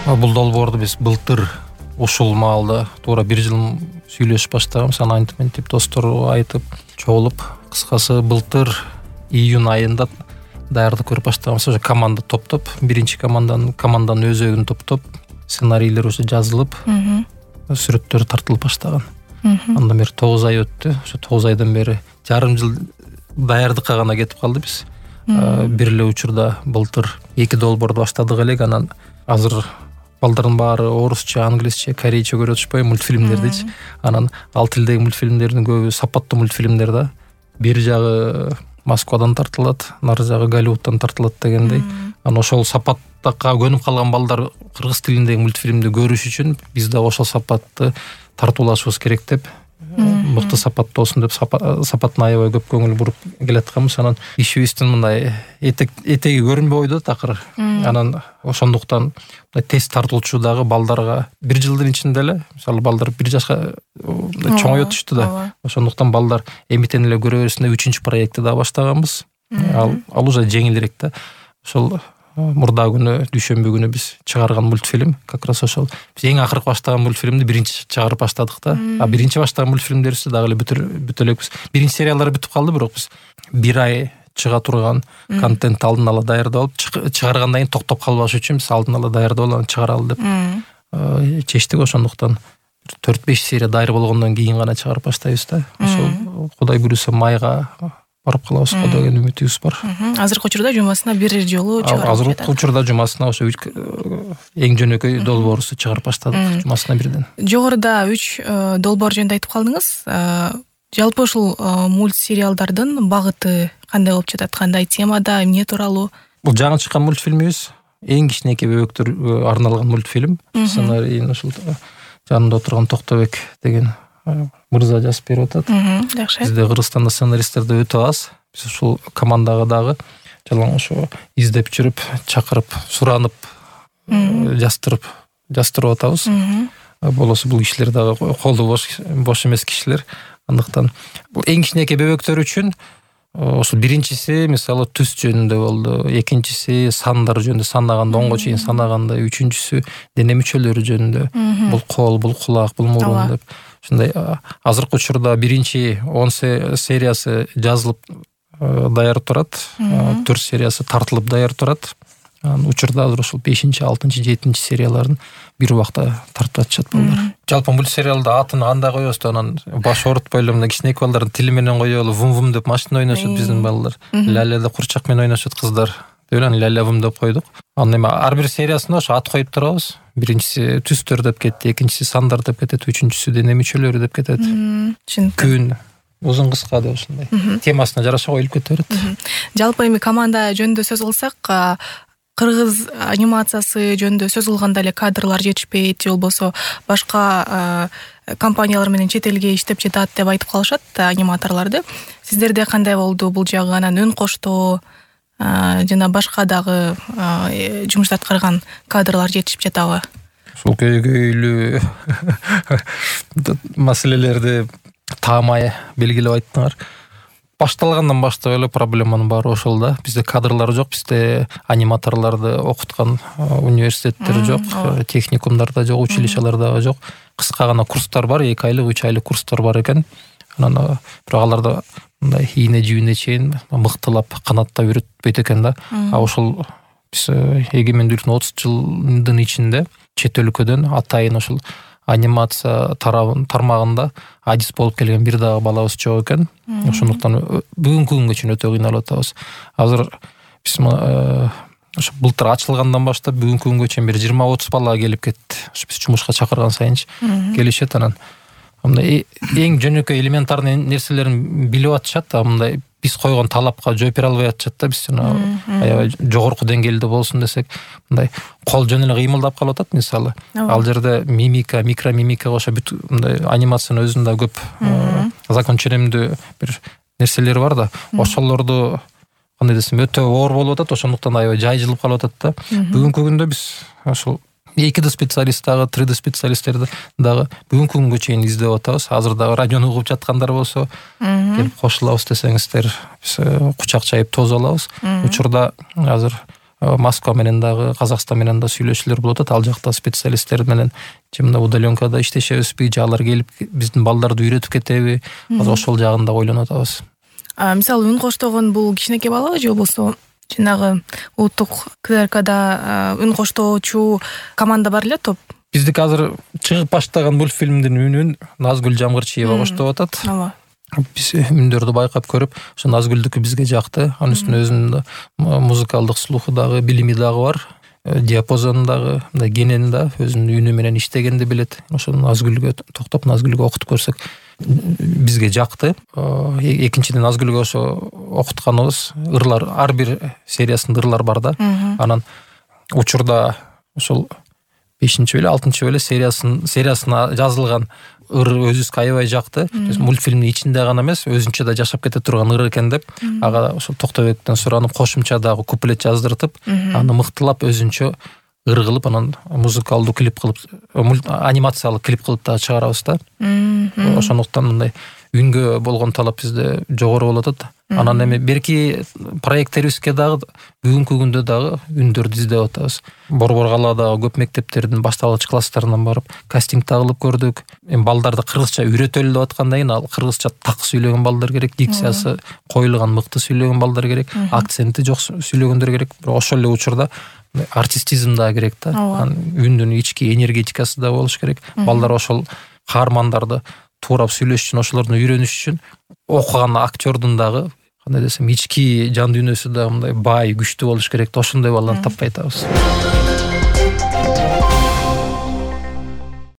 Бул долбоорду биз былтыр ушул маалда туура 1 жыл сүйлөшүп баштаганбыз. Анан антип достор айтып чогулуп, кыскасы былтыр июнь айында даярдык көрүп баштаганбыз. Ошо команда топтоп, биринчи команданын өзөгүн топтоп, сценарийлер уже жазылып, сүрөттөр тартылып баштаган. Андан бери 9 ай өттү. Ошо 9 айдан бери жарым жыл даярдыкка гана кетип калды биз. Бир эле учурда былтыр 2 долбоорду баштадык элек, анан азыр балдардын баары орусча, англисче, корейче көрүп атышпайбы мультфильмдердичи. Анан ал тилдеги мультфильмдердин көбү сапаттуу мультфильмдер да. Бир жагы Москвадан тартылат, нары жагы Голливудтан тартылат дегендей. Анан ошол сапаттакка көнүп калган балдар кыргыз тилиндеги мультфильмди көрүш үчүн биз да ошол сапатты тартуулашыбыз керек деп, мыкты сапаттуу болсун деп сапатына аябай көп көңүл буруп келатканбыз. Анан ишибиздин мындай этеги көрүнбөй койду такыр. Анан ошондуктан тез тартылчу дагы балдарга 1 жылдын ичинде эле, мисалы балдар 1 жашка чоңоюп өтүштү да. Ошондуктан балдар эмитен эле көрө берсин деп 3-чү проектти да баштаганбыз. Ал уже жеңилирээк да. Ошол мурда күнү дүйшөмбү күнү биз чыгарган мультфильм, как раз ошол биз эң акыркы баштаган мультфильмди биринчи чыгарып баштадык да. Биринчи баштаган мультфильмдерибизди дагы эле бүтө элекпиз. Биринчи сериялары бүтүп калды, бирок биз 1 ай чыга турган контентти алдын ала даярдап алып, чыгаргандан кийин токтоп калбаш үчүн биз алдын ала даярдап алып чыгаралы деп чечтик. Ошондуктан 4-5 серия даяр болгондон кийин гана чыгарып баштайбыз да. Ошол Кудай буйруса майга барып калабыз деген үмүтүбүз бар. Азыркы учурда жумасына 1 жолу чыгарып жатат. Азыркы учурда жумасына ошо эң жөнөкөй долбоорубузду чыгарып баштадык, жумасына 1ден. Жогоруда 3 долбоор жөнүндө айтып калдыңыз. Жалпы ушул мультсериалдардын багыты кандай болуп жатат? Кандай темада, эмне тууралуу? Бул жаңы чыккан мультфильмибиз эң кичинекей бөбөктөр арналган мультфильм. Сценарийин ушул жанында отурган Токтобек деген мырза жазып берип атат. Жакшы. Бизде Кыргызстанда сценаристтерди өтө аз. Биз ушул командага дагы жалаң ошо издеп жүрүп, чакырып, суранып, жастырып атабыз. Болосо бул кишилер дагы колу бош эмес кишилер. Андыктан бул эң кичинекей бөбөктөр үчүн ошол биринчиси мисалы түс жөнүндө болду, экинчиси сандар жөнүндө, санаганда 10го чейин санаганда, үчүнчүсү дене мүчөлөрү жөнүндө. Бул кол, бул кулак, бул мурун деп. Ушундай азыркы учурда биринчи 10 сериясы жазылып даяр турат, 4 сериясы тартылып даяр турат. Учурда азыр ошол 5-чи, 6-чы, 7-чи серияларын бир убакта тартып атышат балдар. Жалпы мультсериалда атын кандай коебуз да, анан баш оорутпай эле мына кичинекей балдардын тили менен коелу, вум деп машина ойношот биздин балдар. Ля-ля деп курчак менен ойношот кыздар. Анан ля-ля вум деп койдук. Анан эми ар бир сериясына ошо ат коюп турабыз. Биринчиси түстөр деп кетти, экинчиси сандар деп кетет, үчүнчүсү дене мүчөлөрү деп кетет. Күн, узун кыска деп ушундай. Темасына жараша коюлуп кете берет. Жалпы эми команда жөнүндө сөз кылсак, кыргыз анимациясы жөнүндө сөз кылганда эле кадрлар жетишпейт, же болбосо башка компаниялар менен чет элге иштеп жатат деп айтып калышат аниматорлорду. Сиздерде кандай болду бул жагы? Анан өн коштоо жана башка дагы жумуш аткарган кадрлар жетишип жатабы? Ушул көйгөйлүү маселелерди таамай белгилеп айттыңар. Башталгандан баштап эле проблеманын баары ошол да. Бизде кадрлар жок, бизде аниматорлорду окуткан университеттер жок, техникумдар да жок, училищалар дагы жок. Кыска гана курстар бар, 2 айлык, 3 айлык курстар бар экен. Анан бирок аларды мындай ийне жибине чейин мыктылап, канаттап үйрөтпөйт экен да. Ошол биз эгемендүүлүктүн 30 жылдын ичинде чет өлкөдөн атайын ошол анимация тармагында адис болуп келген бир дагы балабыз жок экен. Ошондуктан бүгүнкү күнгө чейин өтө кыйналып атабыз. Азыр биз ошо былтыр ачылгандан баштап бүгүнкү күнгө чейин бир 20-30 бала келип кетти. Ошо биз жумушка чакырган сайынчы келишет. Анан мындай эң жөнөкөй элементарный нерселерин билип атышат, мындай биз койгон талапка жооп бере албай атышат да. Биз аябай жогорку деңгээлде болсун десек, мындай кол жөн эле кыймылдап калып атат мисалы. Ал жерде мимика, микромимика кошо бүт мындай анимациянын өзүндө көп закон ченемдүү бир нерселери бар да. Ошолорду кандай десем өтө оор болуп атат, ошондуктан аябай жайжылып калып атат да. Бүгүнкү күндө биз ошол 2D специалист дагы, 3D специалисттерди дагы бүгүнкү күнгө чейин издеп атабыз. Азыр дагы радиону угуп жаткандар болсо, келип кошулабыз десеңиздер, биз кучак чайып тосуп алабыз. Учурда азыр Москва менен дагы, Казакстан менен да сүйлөшүүлөр болуп атат. Ал жакта специалисттер менен же мына удаленкада иштешебизби, же алар келип биздин балдарды үйрөтүп кетеби? Азыр ошол жагын да ойлонуп атабыз. Мисалы үн коштогон бул кичинекей балабы же болбосо жанагы улуттук КДРКда үн коштоочу команда бар эле, топ? Биздики азыр чыгып баштаган мультфильмдин үнүн Назгүл Жамгырчиева коштоп атат. Ооба. Биз үндөрдү байкап көрүп, ошо Назгүлдүкү бизге жакты. Анын үстүнө өзүнүн музыкалдык слуху дагы, билими дагы бар. Диапазону дагы, мындай генени да өзүнүн үнү менен иштегенди билет. Ошо Назгүлгө токтоп, Назгүлгө окутуп көрсөк бизге жакты. Экинчиден Назгүлгө ошо окутканыбыз ырлар, ар бир сериясында ырлар бар да. Анан учурда ошол 5-чи беле 6-чы беле сериясына жазылган ыр өзүбүзгө аябай жакты. Мультфильмдин ичинде гана эмес, өзүнчө да жашап кете турган ыр экен деп, ага ошо Токтобектен суранып кошумча дагы куплет жаздыртып, аны мыктылап өзүнчө ыр кылып, анан музыкалдуу клип кылып, анимациялык клип кылып дагы чыгарабыз да. Ошондуктан мындай үнгө болгон талап бизде жогору болуп атат. Анан эми берки проекттерибизге дагы бүгүнкү күндө дагы үндөрдү издеп атабыз. Борбор калаадагы көп мектептердин башталгыч класстарынан барып кастинг кылып көрдүк. Эми балдарды кыргызча үйрөтөлү деп аткандан кийин ал кыргызча так сүйлөгөн балдар керек, дикциясы коюлган мыкты сүйлөгөн балдар керек, акценти жок сүйлөгөндөр керек. Бирок ошол эле учурда артистизм да керек да. Үндүн ички энергетикасы да болуш керек. Балдар ошол каармандарды туурап сүйлөш үчүн, ошолордун үйрөнүш үчүн окуган актёрдун дагы кандай десем ички жан дүйнөсү да мындай бай, күчтүү болуш керек да. Ошондой баланы таппай атабыз.